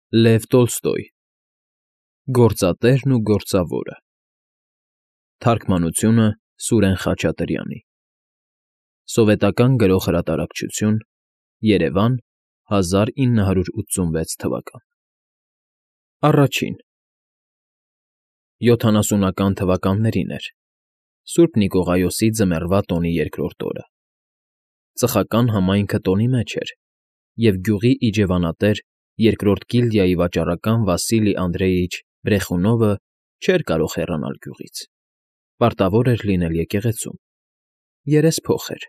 Լև Տոլստոյ Գործատերն ու գործավորը Թարգմանությունը Սուրեն Խաչատրյանի Սովետական Գրող Հրատարակչություն Երևան 1986 թվական Առաջին 70-ական թվականներին էր Սուրբ Նիկողայոսի ձմեռվա տոնի երկրորդ օրը Ծխական համայնքը տոնի մեջ էր և գյուղի իջևանատեր երկրորդ գիլդիայի վաճառական Վասիլի Անդրեյիչ Բրեխունովը չէր կարող հեռանալ գյուղից, պարտավոր էր լինել եկեղեցում, երեսփոխ էր,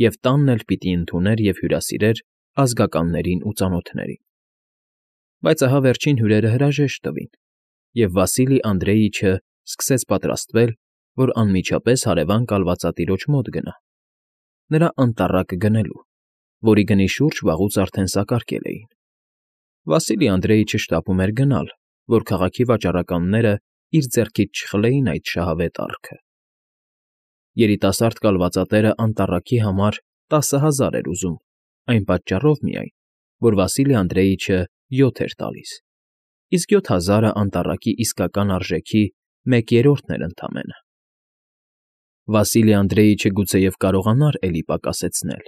և տանն էլ պիտի ընդուներ և հյուրասիրեր ազգականներին ու ծանոթներին, բայց ահա վերջին հյուրերը հրաժեշտ տվին, և Վասիլի Անդրեյիչը սկսեց պատրաստվել, որ անմիջապես հարևան կալվածատիրոջ մոտ գնա, նրա անտառակը գնելու, որի գնի շուրջ վաղուց արդեն սակարկել էին. Վասիլի Անդրեյիչը շտապում էր գնալ, որ քաղաքի վաճառականները իր ձեռքից չխլեին այդ շահավետ առքը. երիտասարդ կալվածատերը անտառակի համար 10,000 էր ուզում, այն պատճառով միայն, որ Վասիլի Անդրեյիչը 7 էր տալիս, իսկ 7,000-ը անտառակի իսկական արժեքի 1/3-ն էր ընդամենը. Վասիլի Անդրեյիչը գուցեև կարողանար էլի պակասեցնել,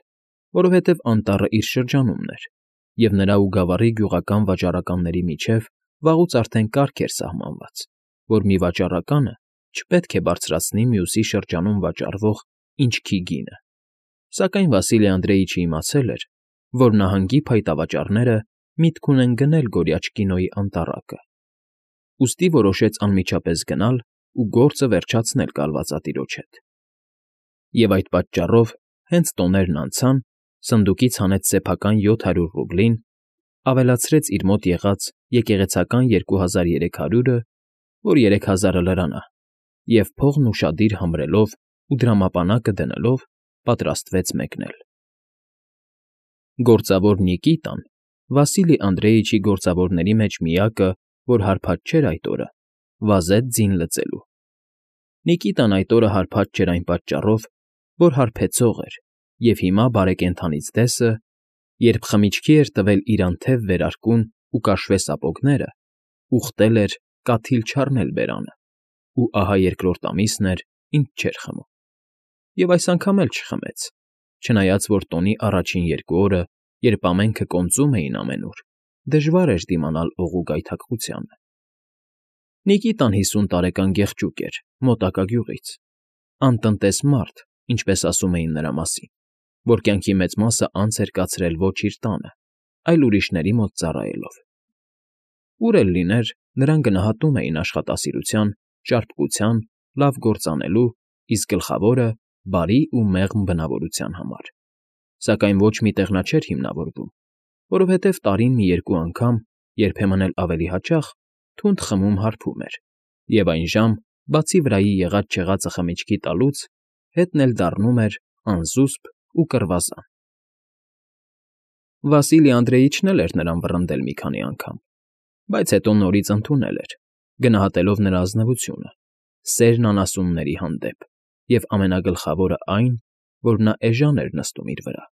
որովհետև անտառը իր շրջանումն էր, և նրա ու Գավառի գյուղական վաճառականների միջև վաղուց արդեն կարգ էր սահմանված, որ մի վաճառականը չպետք է բարձրացնի մյուսի շրջանում վաճառվող ինչքի գինը, սակայն Վասիլի Անդրեյիչը իմացել էր, որ նահանգի փայտավաճառները միտք ունեն գնել Գորյաչկինոյի անտառակը, ուստի որոշեց անմիջապես գնալ ու գործը վերջացնել կալվածատիրոջ հետ. և այդ պատճառով, հենց տոներն անցան, սնդուկից հանեց սեփական 700 ռուբլին, ավելացրեց իր մոտ եղած եկեղեցական 2300-ը, որ 3000-ը լրանա, և փողն ուշադիր համրելով ու դրամապանակը դնելով պատրաստվեց մեկնել. Գործավոր Նիկիտան, Վասիլի Անդրեյիչի գործավորների մեջ միակը, որ հարբած չէր այդ օրը, վազեց ձին լծելու. Նիկիտան այդ օրը հարբած չէր այն պատճառով, որ հարբեցող էր և հիմա բարեկենդանից դեսը, երբ խմիչքի էր տվել իր անթև վերարկուն ու կաշվե սապոգները, ուխտել էր կաթիլ չառնել բերանը, ու ահա երկրորդ ամիսն էր, ինչ չէր խմում, և այս անգամ էլ չխմեց, չնայած որ տոնի առաջին 2 օրը, երբ ամենքը կոնծում էին ամենուր, դժվար էր դիմանալ օղու գայթակղությանը. Նիկիտան 50 տարեկան գեղջուկ էր, մոտակա գյուղից, անտնտես մարդ, ինչպես ասում էին նրա մասին, որ կյանքի մեծ մասը անց էր կացրել ոչ իր տանը, այլ ուրիշների մոտ ծառայելով. ուր էլ լիներ, նրան գնահատում էին աշխատասիրության, ճարպկության, լավ գործ անելու, իսկ գլխավորը՝ բարի ու մեղմ բնավորության համար, սակայն ոչ մի տեղ նա չէր հիմնավորվում, որովհետև տարին մի 2 անգամ, երբեմն էլ ավելի հաճախ, թունդ խմում հարբում էր, և այն ժամ, բացի վրայի եղած֊չեղածը խմիչքի տալուց, հետն էլ դառնում էր անզուսպ ու կռվազան։ Վասիլի Անդրեյիչն էլ էր նրան վռնդել մի քանի անգամ, բայց հետո նորից ընդունել էր, գնահատելով նրա ազնվությունը, սերն անասունների հանդեպ և ամենագլխավորը այն, որ նա էժան էր նստում իր վրա.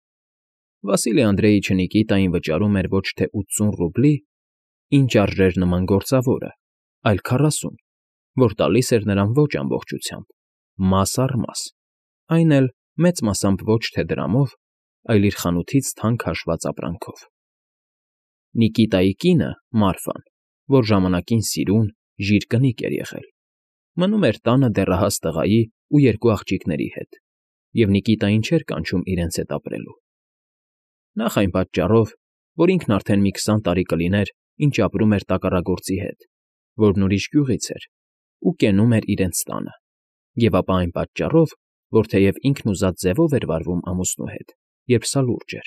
Վասիլի Անդրեյիչը Նիկիտային վճարում էր ոչ թե 80 ռուբլի, ինչ արժեր նման գործավորը, այլ 40, որ տալիս էր նրան ոչ ամբողջությամբ, մաս առ մաս, այն էլ մեծ մասամբ ոչ թե դրամով, այլ իր խանութից թանկ հաշված ապրանքով։ Նիկիտայի կինը՝ Մարֆան, որ ժամանակին սիրուն, ժիր կնիկ էր եղել, մնում էր տանը դեռահաս տղայի ու 2 աղջիկների հետ, և Նիկիտային չէր կանչում իրենց հետ ապրելու. նախ այն պատճառով, որ ինքն արդեն մի 20 տարի կլիներ, ինչ ապրում էր տակառագործի հետ, որն ուրիշ գյուղից էր, ու կենում էր իրենց տանը, և ապա այն պատճառով, որ թեև ինքն ուզած ձևով էր վարվում ամուսնու հետ, երբ սա լուրջ էր,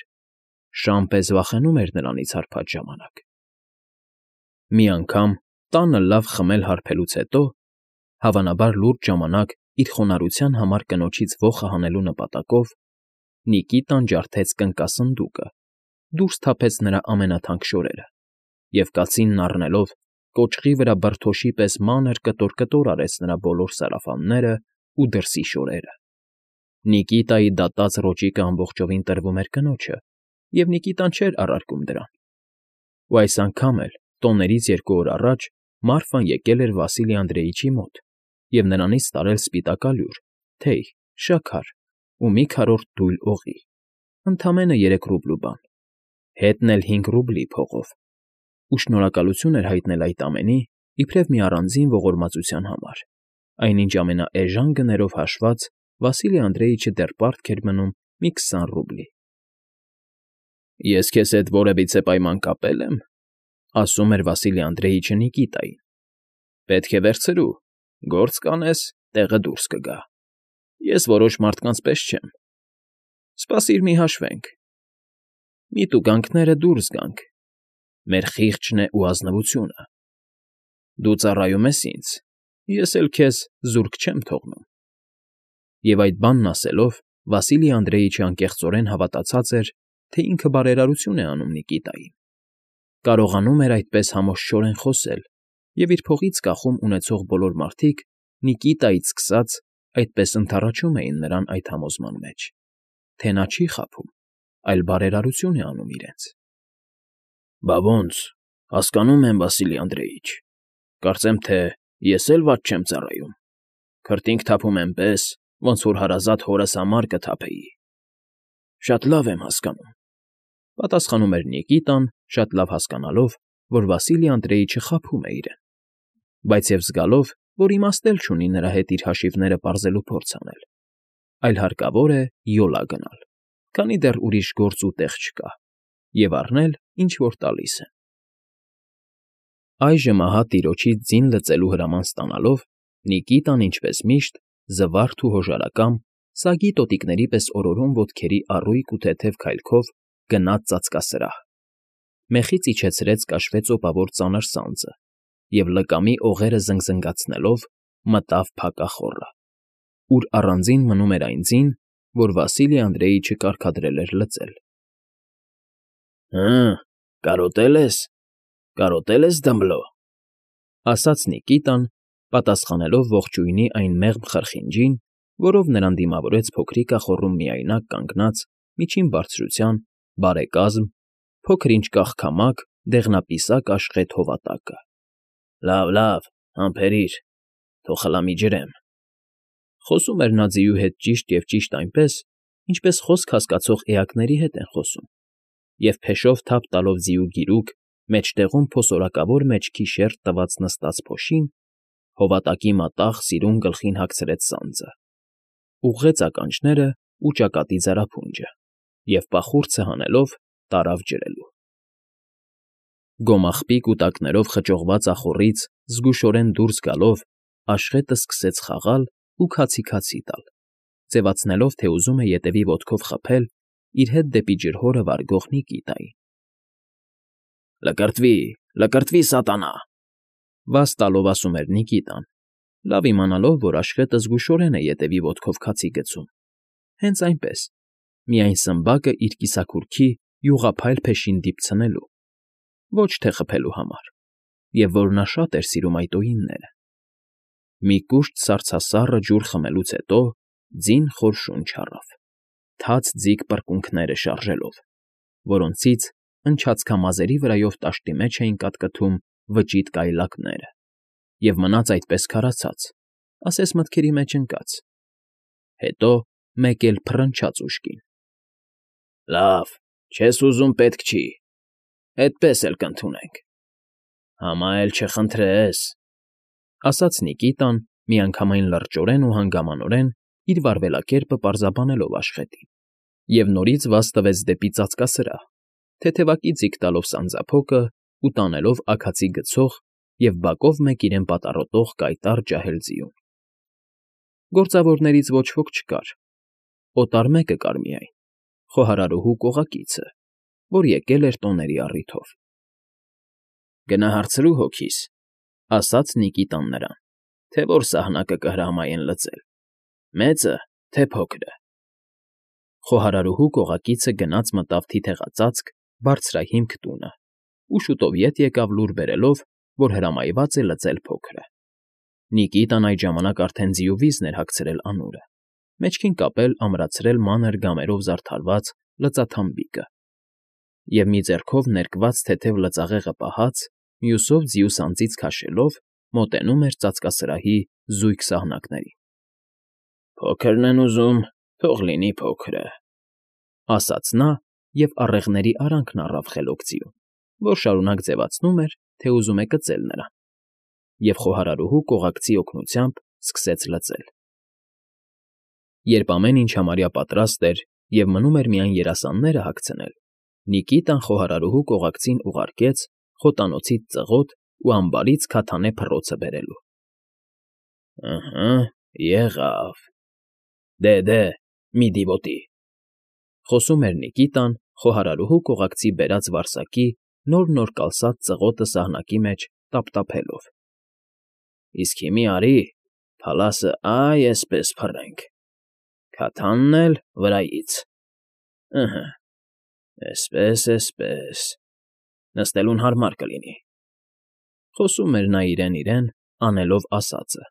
շան պես վախենում էր նրանից հարբած ժամանակ։ Մի անգամ, տանը լավ խմել֊հարբելուց հետո, հավանաբար լուրջ ժամանակ իր խոնարհության համար կնոջից ոխը հանելու նպատակով, Նիկիտան ջարդեց կնկասնդուկը, դուրս թափեց նրա ամենաթանկ շորերը և կացինն առնելով, կոճղի վրա բրդոշի պես մանր կտոր֊կտոր արեց նրա բոլոր սարավաններն ու դրսի շորերը։ Նիկիտայի դատած ռոճիկը ամբողջովին տրվում էր կնոջը, և Նիկիտան չէր առարկում դրան։ ու այս անգամ էլ, տոներից 2 օր առաջ, Մարֆան եկել էր Վասիլի Անդրեիչի մոտ և նրանից տարել սպիտակ ալյուր, թեյ, շաքար ու մի քառորդ դույլ օղի, ընդամենը 3 ռուբլու բան, հետն էլ 5 ռուբլի փողով, ու շնորհակալություն էր հայտնել այդ ամենի իբրև մի առանձին ողորմածության համար, այնինչ ամենաէժան գներով հաշված Վասիլի Անդրեիչը դեռ պարտք էր մնում մի 20 ռուբլի։ ֊ Ես քեզ հետ որևիցե պայման կապել եմ,֊ ասում էր Վասիլի Անդրեիչը Նիկիտային,֊ պետք է վերցրու, գործ կանես, տեղը դուրս կգա։ Ես որոշ մարդկանց պես չեմ։ Սպասիր մի հաշվենք։ Մի տուգանքները դուրս գանք, մեր խիղճն է ու ազնվությունը։ Դու ծառայում ես ինձ, ես էլ քեզ զուրկ չեմ թողնում։ Եվ այդ բանն ասելով Վասիլի Անդրեիչը անկեղծորեն հավատացած էր, թե ինքը բարերարություն է անում Նիկիտային, կարողանում էր այդպես համոզչորեն խոսել, և իր փողից կախում ունեցող բոլոր մարդիկ, Նիկիտայից սկսած, այդպես ընդառաջում էին նրան այդ համոզման մեջ, թե նա չի խաբում, այլ բարերարություն է անում իրենց։ ֊ Բա ոնց, հասկանում եմ, Վասիլի Անդրեիչ, կարծեմ թե ես էլ վատ չեմ ծառայում, քրտինք թափում էնպես, ոնց որ հարազատ հորս համար կթափեի։ ֊ Շատ լավ եմ հասկանում,֊ պատասխանում էր Նիկիտան, շատ լավ հասկանալով, որ Վասիլի Անդրեիչը խաբում է իրեն, բայց և զգալով, որ իմաստ էլ չունի նրա հետ իր հաշիվները պարզելու փորձ անել, այլ հարկավոր է յոլա գնալ, քանի դեռ ուրիշ գործ ու տեղ չկա, և առնել, ինչ որ տալիս են։ Այժմ ահա տիրոջից ձին լծելու հրաման ստանալով, Նիկիտան, ինչպես միշտ, զվարթ ու հոժարակամ, սագի տոտիկների պես օրորում ոտքերի առույգ ու թեթև քայլքով գնաց ծածկասրահ, մեխից իջեցրեց կաշվե ծոպավոր ծանր սանձը և լկամի օղերը զնգզնգացնելով մտավ փակախոռը, ուր առանձին մնում էր այն ձին, որ Վասիլի Անդրեիչը կարգադրել էր լծել։ ֊ Հը, կարոտե՞լ ես, Դմբլո,֊ ասաց Նիկիտան, պատասխանելով ողջույնի այն մեղմ խրխինջին, որով նրան դիմավորեց փոքրիկ ախոռում միայնակ կանգնած, միջին բարձրության, բարեկազմ, փոքր֊ինչ կաղքամակ, դեղնապիսակ աշխեթ հովատակը։ ֊ Լավ, համբերիր, թող խլամիջրեմ,֊ խոսում էր նա ձիու հետ ճիշտ և ճիշտ այնպես, ինչպես խոսք հասկացող էակների հետ են խոսում, և փեշով թափ տալով ձիու գիրուկ, մեջտեղում փոսորակավոր մեջքի շերտ տված նստած փոշին, հովատակի մատաղ սիրուն գլխին հագցրեց սանձը, ուղղեց ականջներն ու ճակատի ձարափունջը և պախուրձը հանելով տարավ ջրելու։ Գոմաղբի կուտակներով խճողված ախոռից զգուշորեն դուրս գալով, աշխետը սկսեց խաղալ ու քացի տալ, ձևացնելով, թե ուզում է ետևի ոտքով խփել իր հետ դեպի ջրհորը վարգող Նիկիտային։ ֊ Լկրտվի, սատանա,֊ վազ տալով ասում էր Նիկիտան, լավ իմանալով, որ աշխետը զգուշորեն է ետևի ոտքով քացի գցում, հենց այնպես, միայն սմբակը իր կիսաքուրքի յուղափայլ փեշին դիպցնելու, ոչ թե խփելու համար, և որ նա շատ էր սիրում այդ օյինները։ Մի կուշտ սառցասառը ջուր խմելուց հետո ձին խոր շունչ առավ, թաց ձիգ պռկունքները շարժելով, որոնցից ընչացքամազերի վրայով տաշտի մեջ էին կատկթում վճիտ կայլակները, և մնաց այդպես քարացած, ասես մտքերի մեջ ընկած, հետո մեկ էլ փռնչաց ուշքին։ ֊ Լավ, չես ուզում՝ պետք չի, էդպես էլ կընդունենք։ ֊ Համա էլ չխնդրես,֊ ասաց Նիկիտան, միանգամայն լրջորեն ու հանգամանորեն իր վարվելակերպը պարզաբանելով աշխետին, և նորից վազ տվեց դեպի ծածկասրահ, թեթևակի ձիգ տալով սանձափոկը ու տանելով աքացի գցող և բակով մեկ իրեն պատառոտող կայտառ ջահել ձիուն։ Գործավորներից ոչ ոք չկար, օտար մեկը կար միայն, խոհարարուհու կողակիցը, որ եկել էր տոների առիթով։ ֊ Գնա հարցրու հոգիս,֊ ասաց Նիկիտան նրան, թե որ սահնակը կհրամայեն լծել, մեծը, թե փոքրը։ Խոհարարուհու կողակիցը գնաց մտավ թիթեղածածկ, բարձրահիմք տունը ու շուտով ետ եկավ լուր բերելով, որ հրամայված է լծել փոքրը։ Նիկիտան այդ ժամանակ արդեն ձիու վիզն էր հագցրել անուրը, մեջքին կապել ամրացրել մանր գամերով զարդարված լծաթամբիկը և մի ձեռքով ներկված թեթև լծաղեղը պահած, մյուսով ձիուց անձից քաշելով մոտենում էր ծածկասրահի զույգ սահնակներին։ ֊ Փոքրն են ուզում, թող լինի փոքրը, ֊ ասաց նա և առեղների արանքն առավ խելոք ձիուն, որ շարունակ ձևացնում էր, թե ուզում է կծել նրան, և խոհարարուհու կողակցի օգնությամբ սկսեց լծել։ Երբ ամեն ինչ համարյա պատրաստ էր և մնում էր միայն երասանները հագցնել, Նիկիտան խոհարարուհու կողակցին ուղարկեց խոտանոցից ծղոտ ու ամբարից քաթանե փռոցը բերելու։ ֊ Ըհը, եղավ, դե, մի դիվոտի, ֊ խոսում էր Նիկիտան խոհարարուհու կողակցի բերած վարսակի նոր կալսած ծղոտը սահնակի մեջ տափտափելով։ ֊ Իսկ հիմի արի, փալասը էսպես փռենք, քաթանն էլ վրայից, ըհը, էսպես, նստելուն հարմար կլինի, ֊ խոսում էր նա իրեն, անելով ասածը,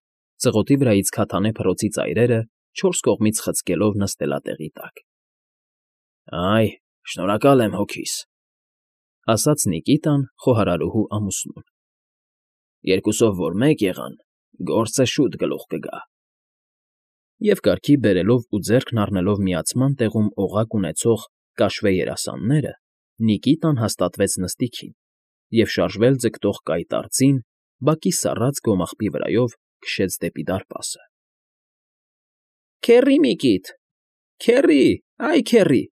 ծղոտի վրայից քաթանե փռոցի ծայրերը չորս կողմից խցկելով նստելատեղի տակ։ ֊ Այ, շնորհակալ եմ հոգիս, ֊ ասաց Նիկիտան խոհարարուհու ամուսնուն։ ֊ Երկուսով որ մեկ եղան, գործը շուտ գլուխ կգա։ Եվ կարգի բերելով ու ձեռքն առնելով միացման տեղում օղակ ունեցող կաշվե երասանները, Նիկիտան հաստատվեց նստիքին և շարժվել ձգտող կայտ արծին բակի սառած գոմաղբի վրայով քշեց դեպի դարպասը։ ֊ Քեռի, Միկիտ, քեռի, այ քեռի…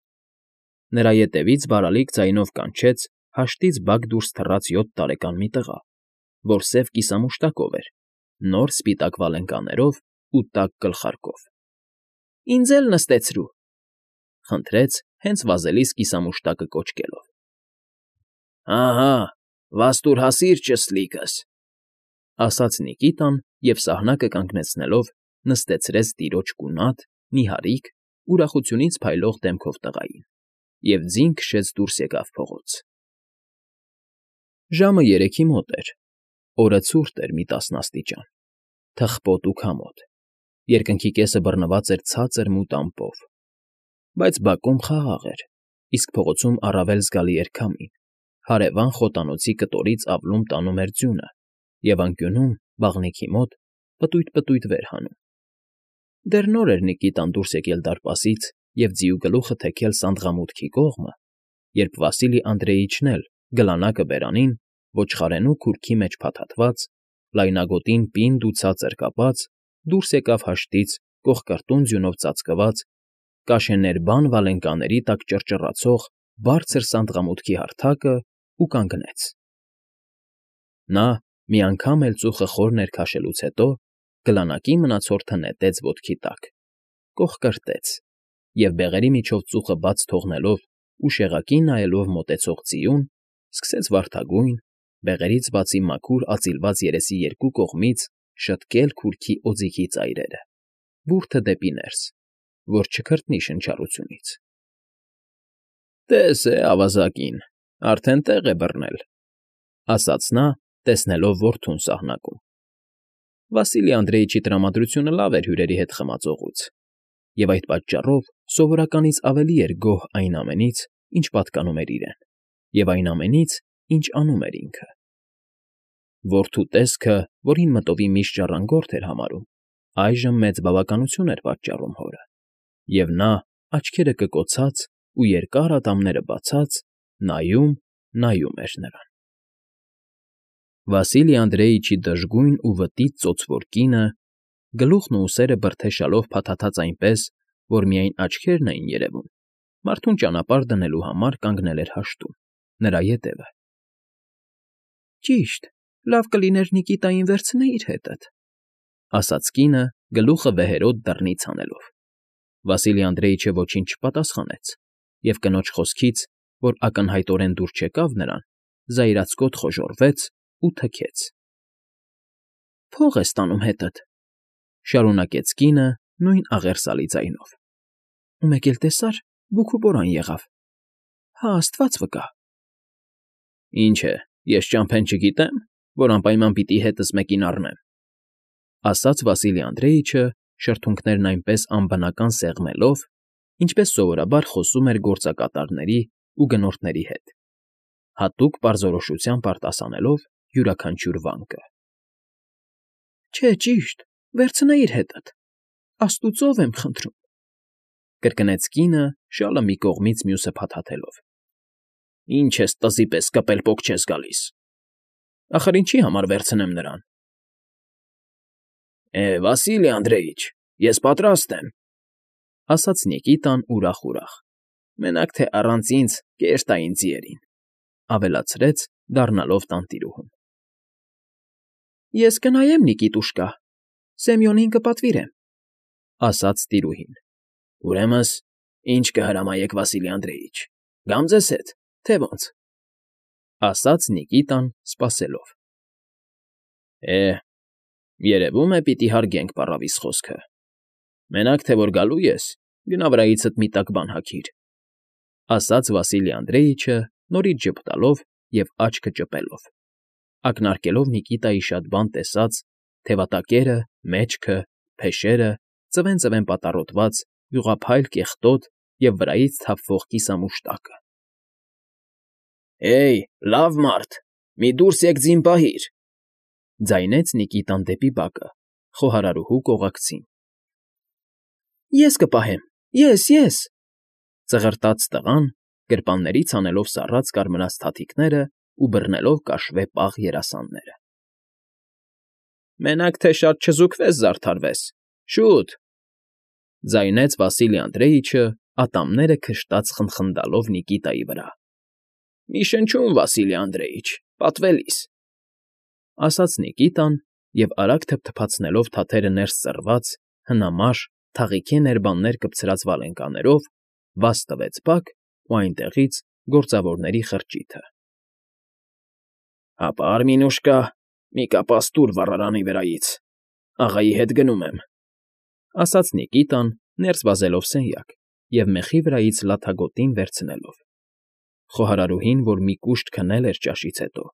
Նրա ետևից բարալիկ ձայնով կանչեց հաշտից բակ դուրս թռած 7 տարեկան մի տղա, որ սև կիսամուշտակով էր, նոր սպիտակ վալենկաներով ու տաք գլխարկով։ ֊ Ինձ էլ նստեցրու, ֊ խնդրեց հենց վազելիս կիսամուշտակը կոչկելով։ ֊ Հա, վաստուր հասիր, ճսլիկս, ֊ ասաց Նիկիտան և սահնակը կանգնեցնելով նստեցրեց տիրոջ կունատ, նիհարիկ, ուրախությունից փայլող դեմքով տղային և ձին քշեց դուրս եկավ փողոց։ Ժամը 3-ի մոտ էր, օրը ցուրտ էր մի 10 աստիճան, թխպոտ ու քամոտ, երկնքի կեսը բռնված էր ցածր մութ ամպով, բայց բակում խաղաղ էր, իսկ փողոցում առավել զգալի էր քամին, հարևան խոտանոցի կտորից ավլում տանում էր ձյունը և անկյունում, բաղնիքի մոտ, պտույտ վեր հանում։ Դեռ նոր էր Նիկիտան դուրս եկել դարպասից և ձիու գլուխը թեքել սանդղամուտքի կողմը, երբ Վասիլի Անդրեիչն էլ, գլանակը բերանին, ոչխարենու քուրքի մեջ փաթաթված, լայնագոտին պինդ ու ցածր կապած, դուրս եկավ հաշտից կոխկրտուն ձյունով ծածկված, կաշեներբան վալենկաների տակ ճռճռացող բարձր սանդղամուտքի հարթակը ու կանգնեց։ Նա, մի անգամ էլ ծուխը խոր ներքաշելուց հետո, գլանակի մնացորդը նետեց ոտքի տակ, կոխկրտեց և, բեղերի միջով ծուխը բաց թողնելով ու շեղակին նայելով մոտեցող ձիուն, սկսեց վարդագույն, բեղերից բացի մաքուր ածիլված երեսի երկու կողմից շտկել քուրքի օձիքի ծայրերը, բուրդը դեպի ներս, որ չքրտնի շնչառությունից։ ֊ Տես է, ավազակին, արդեն տեղ է բռնել, ֊ ասաց նա, տեսնելով որդուն սահնակում։ Վասիլի Անդրեիչի տրամադրությունը լավ էր հյուրերի հետ խմած օղուց, և այդ պատճառով սովորականից ավելի էր գոհ այն ամենից, ինչ պատկանում էր իրեն, և այն ամենից, ինչ անում էր ինքը։ Որդու տեսքը, որին մտովի միշտ ժառանգորդ էր համարում, այժմ մեծ բավականություն էր պատճառում հորը, և նա, աչքերը կկոցած ու երկար ատամները բացած, նայում էր նրան։ Վասիլի Անդրեիչի դժգույն ու վտիտ ծոցավոր կինը, գլուխն ու ուսերը բրդեշալով փաթաթած այնպես, որ միայն աչքերն էին երևում, մարդուն ճանապարհ դնելու համար կանգնել էր հաշտում, նրա ետևը։ ֊ Ճիշտ, լավ կլիներ Նիկիտային վերցնեիր հետդ, ֊ ասաց կինը, գլուխը վեհերադ դռնից հանելով։ Վասիլի Անդրեիչը ոչինչ չպատասխանեց և կնոջ խոսքից, որ ակնհայտորեն դուր չեկավ նրան, զայրացկոտ խոժոռվեց ու թքեց։ ֊ Փող ես տանում հետդ, ֊ շարունակեց կինը նույն աղերսալի ձայնով, ֊ ու մեկ էլ տեսար, բուքուբորան եղավ, հա աստված վկա։ ֊ Ինչ է, ես ճամփեն չգիտեմ, որ անպայման պիտի հետս մեկին առնեմ, ֊ ասաց Վասիլի Անդրեիչը, շրթունքներն այնպես անբնական սեղմելով, ինչպես սովորաբար խոսում էր գործակատարների ու գնորդների հետ, հատուկ պարզորոշությամբ արտասանելով յուրաքանչյուր վանկը։ ֊ Չէ, ճիշտ, վերցնեիր հետդ, աստուծով եմ խնդրում,֊ կրկնեց կինը, շալը մի կողմից մյուսը փաթաթելով։ ֊ Ինչ ես տզի պես կպել֊պոկ չես գալիս… Ախր ինչի համար վերցնեմ նրան… ֊ Վասիլի Անդրեիչ, ես պատրաստ եմ,֊ ասաց Նիկիտան ուրախ֊ուրախ։֊ Մենակ թե առանց ինձ կեր տա ինձ երին,֊ ավելացրեց, դառնալով տանտիրուհուն։ ֊ Ես կնայեմ, Նիկիտուշկա, Սեմյոնին կպատվիրեմ,֊ ասաց տիրուհին։ ֊ Ուրեմն ինչ կհրամայեք, Վասիլի Անդրեիչ, գամ ձեզ հետ, թե ոնց,֊ ասաց Նիկիտան, սպասելով։ ֊ Երևում է, պիտի հարգենք պառավիս խոսքը… Մենակ թե որ գալու ես, գնա վրայիցդ մի տաք բան հագիր,֊ ասաց Վասիլի Անդրեիչը, նորից ժպտալով և աչքը ճպելով, ակնարկելով Նիկիտայի շատ բան տեսած թևատակերը, մեջքը, փեշերը, ծվեն֊ծվեն պատառոտված, յուղափայլ կեղտոտ և վրայից թափվող կիսամուշտակը։ ֊ Լավ մարդ, մի դուրս եկ ձին պահիր,֊ ձայնեց Նիկիտան դեպի բակը, խոհարարուհու կողակցին։ ֊ Ես կպահեմ, ես,֊ ծղրտաց տղան, գրպաններից հանելով սառած կարմրած թաթիկներն ու բռնելով կաշվե պաղ երասանները։ ֊ Մենակ թե շատ չզուգվես զարդարվես, շուտ,֊ ձայնեց Վասիլի Անդրեիչը, ատամները քշտաց խնխնդալով Նիկիտայի վրա։ ֊ Մի շնչում, Վասիլի Անդրեիչ, պատվելիս,֊ ասաց Նիկիտան և, արագ թփթփացնելով թաթերը ներս ծռված, հնամաշ, թաղիքե ներբաններ կպցրած վալենկաներով, բաց տվեց բակ ու այնտեղից գործավորների խրճիթը։ ֊ Հապա, Արմինուշկա, մի կապ աստուր վառարանի վրայից, աղայի հետ գնում եմ,֊ ասաց Նիկիտան, ներս վազելով սենյակ և մեխի վրայից լաթագոտին վերցնելով։ Խոհարարուհին, որ մի կուշտ քնել էր ճաշից հետո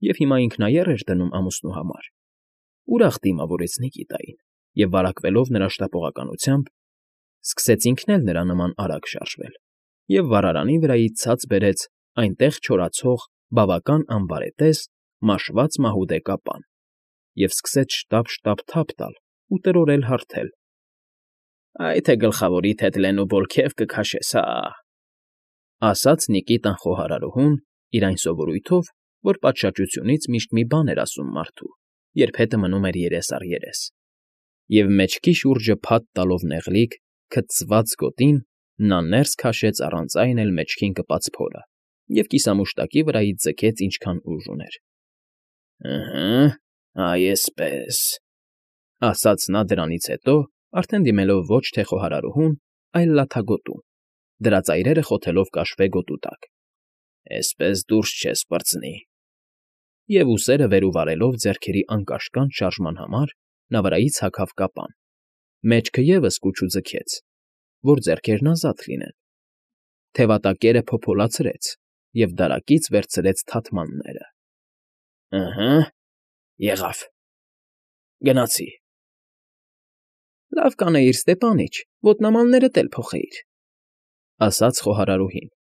և հիմա ինքնաեռ էր դնում ամուսնու համար, ուրախ դիմավորեց Նիկիտային և, վարակվելով նրա շտապողականությամբ, սկսեց ինքն էլ նրա նման արագ շարժվել և վառարանի վրայից ցած բերեց այնտեղ չորացող բավական անբարետես մաշված մահուդե կապան և սկսեց շտապ֊շտապ թափ տալ ու տրորել հարթել։ ֊ Այ թե գլխավորիդ հետ լեն ու բոլքև կքաշես, հա՜…֊ ասաց Նիկիտան խոհարարուհուն իր այն սովորույթով, որ պատշաճությունից միշտ մի բան էր ասում մարդու, երբ հետը մնում էր երես առ երես, և մեջքի շուրջը փաթ տալով նեղլիկ, քցծված գոտին նա ներս քաշեց առանց այն էլ մեջքին կպած փորը և կիսամուշտակի վրայից ձգեց ինչքան ուժ ուներ։ ֊ Այ էսպես,֊ ասաց նա դրանից հետո, արդեն դիմելով ոչ թե խոհարարուհուն, այլ լաթագոտուն, դրա ծայրերը խոթելով կաշվե գոտու տակ,֊ Էսպես դուրս չես պրծնի… Եվ ուսերը վեր ու վարելով ձեռքերի անկաշկանդ շարժման համար նա վրայից հագավ կապան, մեջքը ևս կուչ ու ձգեց, որ ձեռքերն ազատ լինեն, թևատակերը փոփոլացրեց և դարակից վերցրեց թաթմանները։ ֊ Եղավ, գնացի… ֊ Լավ կանեիր, Ստեպանիչ, ոտնամաններդ էլ փոխեիր,֊ ասաց խոհարարուհին,֊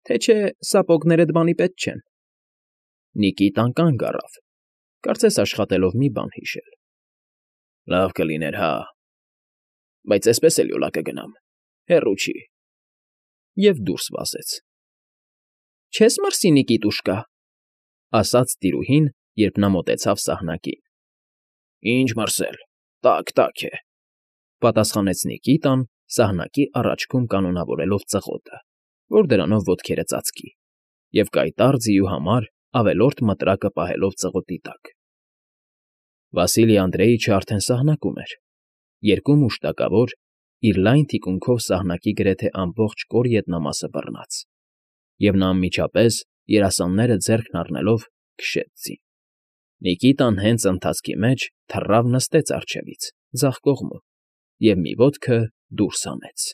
թե չէ սապոգներդ բանի պետք չեն։ Նիկիտան կանգ առավ, կարծես աշխատելով մի բան հիշել։ ֊ Լավ կլիներ, հա, բայց էսպես էլ յոլա կգնամ, հեռու չի… Եվ դուրս վազեց։ ֊ Չես մրսի, Նիկիտուշկա,֊ ասաց տիրուհին, երբ նա մոտեցավ սահնակին։ ֊ Ինչ մրսել, տաք է,֊ պատասխանեց Նիկիտան, սահնակի առաջքում կանոնավորելով ծղոտը, որ դրանով ոտքերը ծածկի, և կայտառ ձիու համար ավելորդ մտրակը պահելով ծղոտի տակ։ Վասիլի Անդրեիչը արդեն սահնակում էր, երկու մուշտակավոր, իր լայն թիկունքով սահնակի գրեթե ամբողջ կոր ետնամասը բռնած, և նա անմիջապես, երասանները ձեռքն առնելով, քշեց ձին։ Նիկիտան հենց ընթացքի մեջ թռավ նստեց առջևից, ձախ կողմում և մի ոտքը դուրս հանեց։